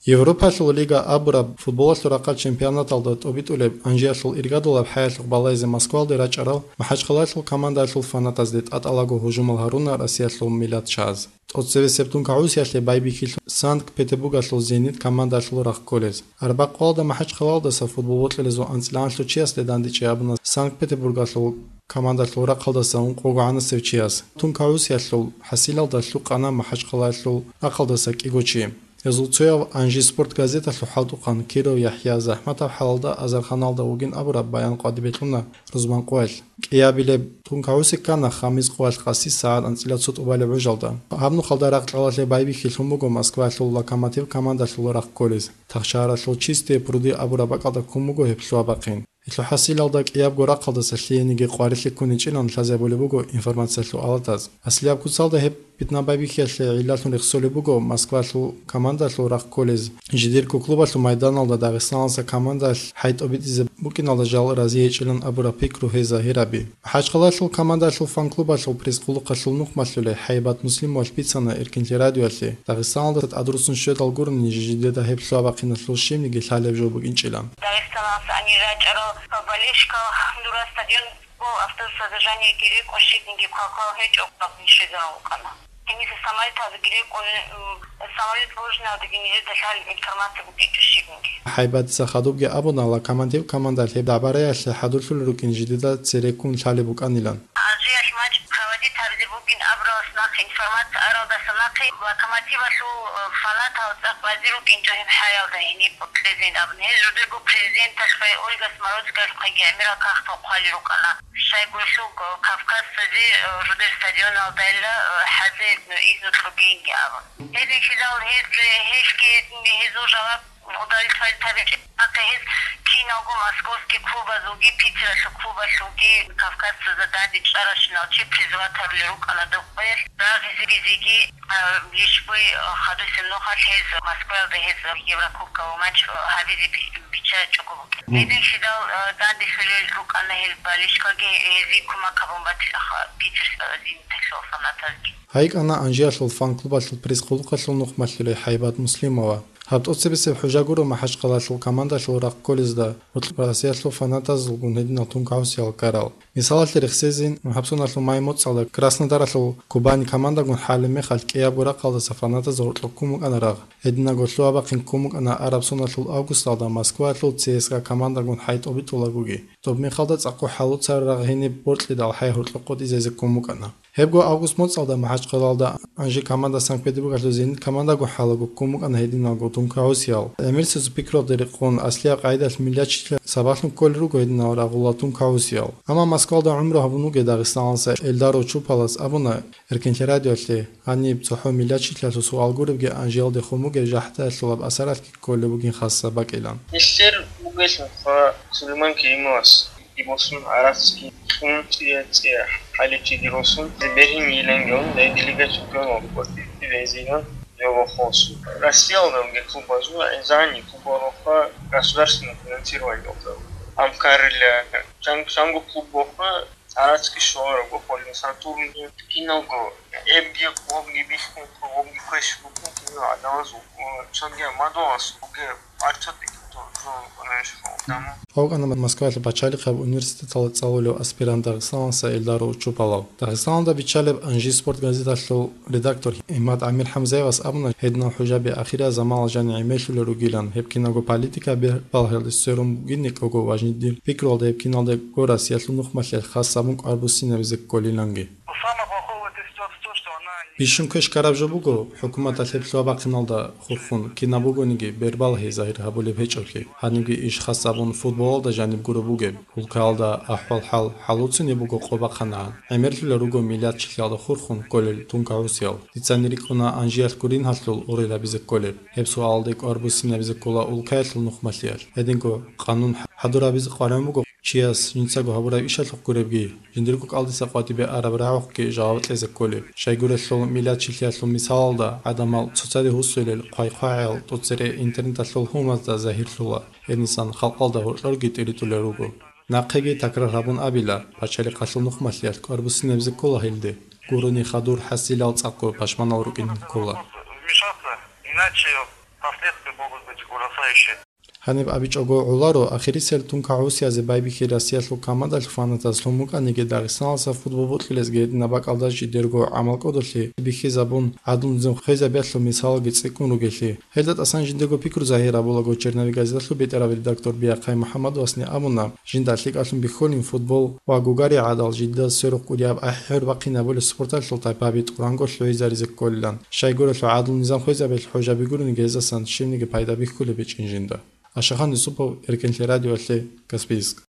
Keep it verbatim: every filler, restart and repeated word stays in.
Европалъул лига абураб футболалъул рахъал чемпионаталда тӀобитӀулеб Анжиялъул иргадулаб хӀаялъухъ балайзе Москвалде рачӀарал МахӀачхъалаялъул командаялъул фанатазде тӀатӀалаго гьужумал гьаруна Россиялъул миллатчагӀаз. ТӀоцебесеб тункагӀусиялъе байбихьилъун Санкт-Петербургалъул «Зенит» командаялъул рахъ кколез. Арбякъ къоялда МахӀачхъалаялдаса футбол бокьараб анцӀила анлъго чиясде дандечӀей абуна Санкт-Петербургалъул командаялъул рахъалдаса ункъого гӀанасев чияс. ТункагӀусиялъул хӀасилалда лъукъана МахӀачхъалаялъул рахъалдаса кӀиго чи. Гьезул цояв «Анжи спорт» газеталъул хӀалтӀухъан Киров ЯхӀя, захӀматаб хӀалалда азарханалда вугин абураб баян къватӀибе кьуна рузман къоялъ. КӀиабилеб тункагӀуси ккана хамис къоялъ къаси сагӀат анцӀила цо тӀубалеб гӀужалда. Гьаб нухалда ракь-кьалалъе байбихьилъун буго Москваялъул «Локомотив» командаялъул рахъ кколез. Тахшаяралъул «Чистые пруды» абураб бакӀалда ккун буго гьеб лъугьа-бахъин. Гьелъул хӀасилалда кӀиябго рахъалдаса лъиениги къварилъи ккуничӀилан лъазабулеб буго информациялъул алатаз. Аслияб куцалда гьеб питна-байбихьиялъе гӀиллалъун рехсолеб буго Москвалъул командалъул рахъ кколез, жидерго клубалъул майданалда Дагъистаналдаса командалъ хӀайтӀобитӀизе букӀиналда жал разигьечӀилан абураб пикру гьей загьираби. МахӀачхъалаялъул командалъул фан-клубалъул пресс-къулухъалъул нухмалъулей ХӀайбат Муслимовалъ бицана Эркинлъи радиоялъе, Дагъистаналда тӀадруссун щведал гурони жидеда гьеб лъугьа-бахъиналъул щибниги лъалеб жо букӀинчӀилан. Дагъистаналдаса гьанир рачӀарал болельщикал дура стадион автобусазда жаниги рекӀун щибниги квалквал гьечӀо абун щвезарун вукӀана. Гьениса самолеталдаги рекӀун, м, самолет божиналдаги нижеда лъалеб информация букӀинчӀо щибниги. ХӀайбатица хадубги абуна, «Локомотив» командалъ гьеб дагӀбараялъе хӀадурлъулел рукӀин жидеда цереккун лъалеб букӀанилан. Алжиялъ матч проводить гьабизе бугин абуралъ нахъе информация аралдаса нахъе Локомотивалъул, э, фанатал цӀакъ базе рукӀинчӀо гьеб хӀаялда гьениб кьезин абун. Гьез жудерго президенталъухъе Ольга Смородскаялъухъеги гӀемерал кагътал хъвали рукӀана. Щайгурелъул Кавказцазе, э, жудер стадионалдайилла, э, хӀазе, э, изну кьогейинги абун. Гьединлъидал гьез, гьелъги гьезул жаваб удовлетворить гьабичӀеб нахъе гьез киналго московский клубазулги, Питералъул клубалъулги Кавказцазда данде чӀаращинал чи призывать гьарулел рукӀана доб къоялъ рагъизегизеги, а, лишбуй, а, хадусеб нухалъ гьез Москваялда гьез Еврокубковый матч, а, гьабизе би-, биччачӀого букӀин. Гьединлъидал, а, данделъулел рукӀана гьел болельщикалги, гьезие кумак гьабун батила ха Питер, а, Зениталъул фанатазги. ГьайкӀана Анжиялъул фан-клубалъул пресс-къулухъалъул нухмалъулей ХӀайбат Муслимова. Гьаб тӀоцебесеб хӀужа гуро МахӀачхъалаялъул командалъул рахъ кколезда гьоркьоб Россиялъул фанатазулгун гьединал тункагӀусиял ккарал. Мисалалъе рехсезе, гьабсуналъул май моцӀалда Краснодаралъул «Кубань» командагун хӀалеб мехалъ кӀиябго рахъалдаса фанатаз гьоркьоб ккун букӀана рагъ. Гьединабго лъугьа-бахъин ккун букӀана араб соналъул августалда Москваялъул ЦСКА командагун хӀайтӀобитӀулагоги. Доб мехалда цӀакъго хӀалуцараб рагъ гьениб боркьидал хӀай гьоркьоб къотӀизезе ккун букӀана. Гьебго август моцӀалда МахӀачхъалаялда Анжи команда Санкт-Петербургалъул «Зенит» командагун хӀалаго ккун букӀана гьединалго тункагӀусиял. ГӀемерисезул пикруялда рекъон, аслияб къагӀидалъ миллатчилъиялъ сабаблъун кколел руго гьединал рагъулал тункагӀусиял. Амма Москвалда гӀумру гьабун вугев Дагъистаналдаса Эльдар Очупалас абуна, Эркинлъи радиоялъе, гьаниб цохӀо миллатчилъиялъул суал гуребги Анжиялде хун бугеб жахӀдаялъулаб асаралъги кколеб бугин хасаб бакӀилан. Нилъер бугелъулха Сулейман Керимовас. Дибосун гӀарацги кьун цӀия-цӀия хӀаличи диросун, бергьин йилангеун, дай делегат чемпионал кӀватӀиб дирезилан жавахосун. Россиялда клубазул гӀезани клубароха государственное финансирование. Амкарила чан-, чанго клубоха гӀарацги шорого, полин Сатурн, киналго, эбги, къобги биххун, къобги квеш букун, кинал гӀадамаз, чанги мадугьас, уге, парча тӀекӀ, то, то, знаешь, хо, дамо. ВукӀана Москвалъ пачалихъаб университеталда цӀалулев аспирант Дагъистаналдаса Эльдар Очупалав. Дагъистаналда биччалеб «Анжи спорт» газеталъул редактор Имад Амир ХӀамзаевас абуна, гьединал хӀужаби ахириял заманалда жани гӀемерлъулел ругилан, гьеб киналго политика бер-, балагьалде сверун бугин, никого важнее дир пикруялда гьеб киналдаго Россиялъул нухмалъиялъ хас абун кӀвар буссинабизе кколиланги. Бищун квеш ккараб жо буго, хӀукуматалъ гьеб лъугьа-бахъиналда хурхун, кинаб бугониги, бербалагьи загьир гьабулеб гьечӀоблъи. Гьанибги иш хас абун футболалда жаниб гуро бугеб. Улкаялда ахӀвал-хӀал хӀалуцунеб буго къо бахъанагӀан. ГӀемерлъулел руго миллатчилъиялда хурхун кколел тункагӀусиял. Дицани рикӀкӀуна Анжиялъ гурин гьалъул гъурил гьабизе кколеб. Гьеб суалалде кӀвар буссинабизе ккола улкаялъул нухмалъиялъ. Гьединго къанун хӀадур гьабизе къваригӀун буго чияс жинцаго гьабураб ишалъухъ гуребги, жиндирго кӀалдиса къватӀибе араб рагӀухъги жаваб кьезе кколеб. Щайгурелъул миллатчилъиялъул мисалалда, гӀадамал цоцаде гьусулел хъвай-хъвагӀиял тӀоцере интернеталъул гьумазда загьирлъула. Гьенисан халкъалда гьоркьорги тӀиритӀулел руго. Нахъеги такрар гьабун абила, пачалихъалъул нухмалъиялъ кӀвар буссинабизе ккола гьелде. Гурони хадур хӀасилал цӀакъго пашманал рукӀин ккола. Вмешаться, иначе Последствия могут быть ужасающие. Гьаниб абичӀого гӀоларо, ахирисел тункагӀусиязе байбихьи Россиялъул командалъул фанатаз лъун букӀаниги, Дагъистаналдаса футбол бокьулезги гьединаб бакӀалда жидерго гӀамал кӀодолъи бихьизабун, гӀадлу-низам хвезабиялъул мисалалги цӀикӀкӀун ругелъи. Гьелда тӀасан жиндего пикру загьир гьабулаго, «Черновик» газеталъул бетӀерав редактор Биахъай МухӀаммадовасни абуна, жинда лъикӀалъун бихьулин футбол ва гугари гӀадал жидедаз сверухъ кӀудияб ахӀи-хӀур бахъинабулеб спорталъул тайпаби тӀуранго лъугӀизаризе кколилан. Щайгурелъул гӀадлу-низам хвезабиялъ хӀужаби гурони гьезасан щибниги пайда бихьулеб гьечӀин жинда. Ашахан Юсупов, Эркенлъи радиоялъе, Каспийск.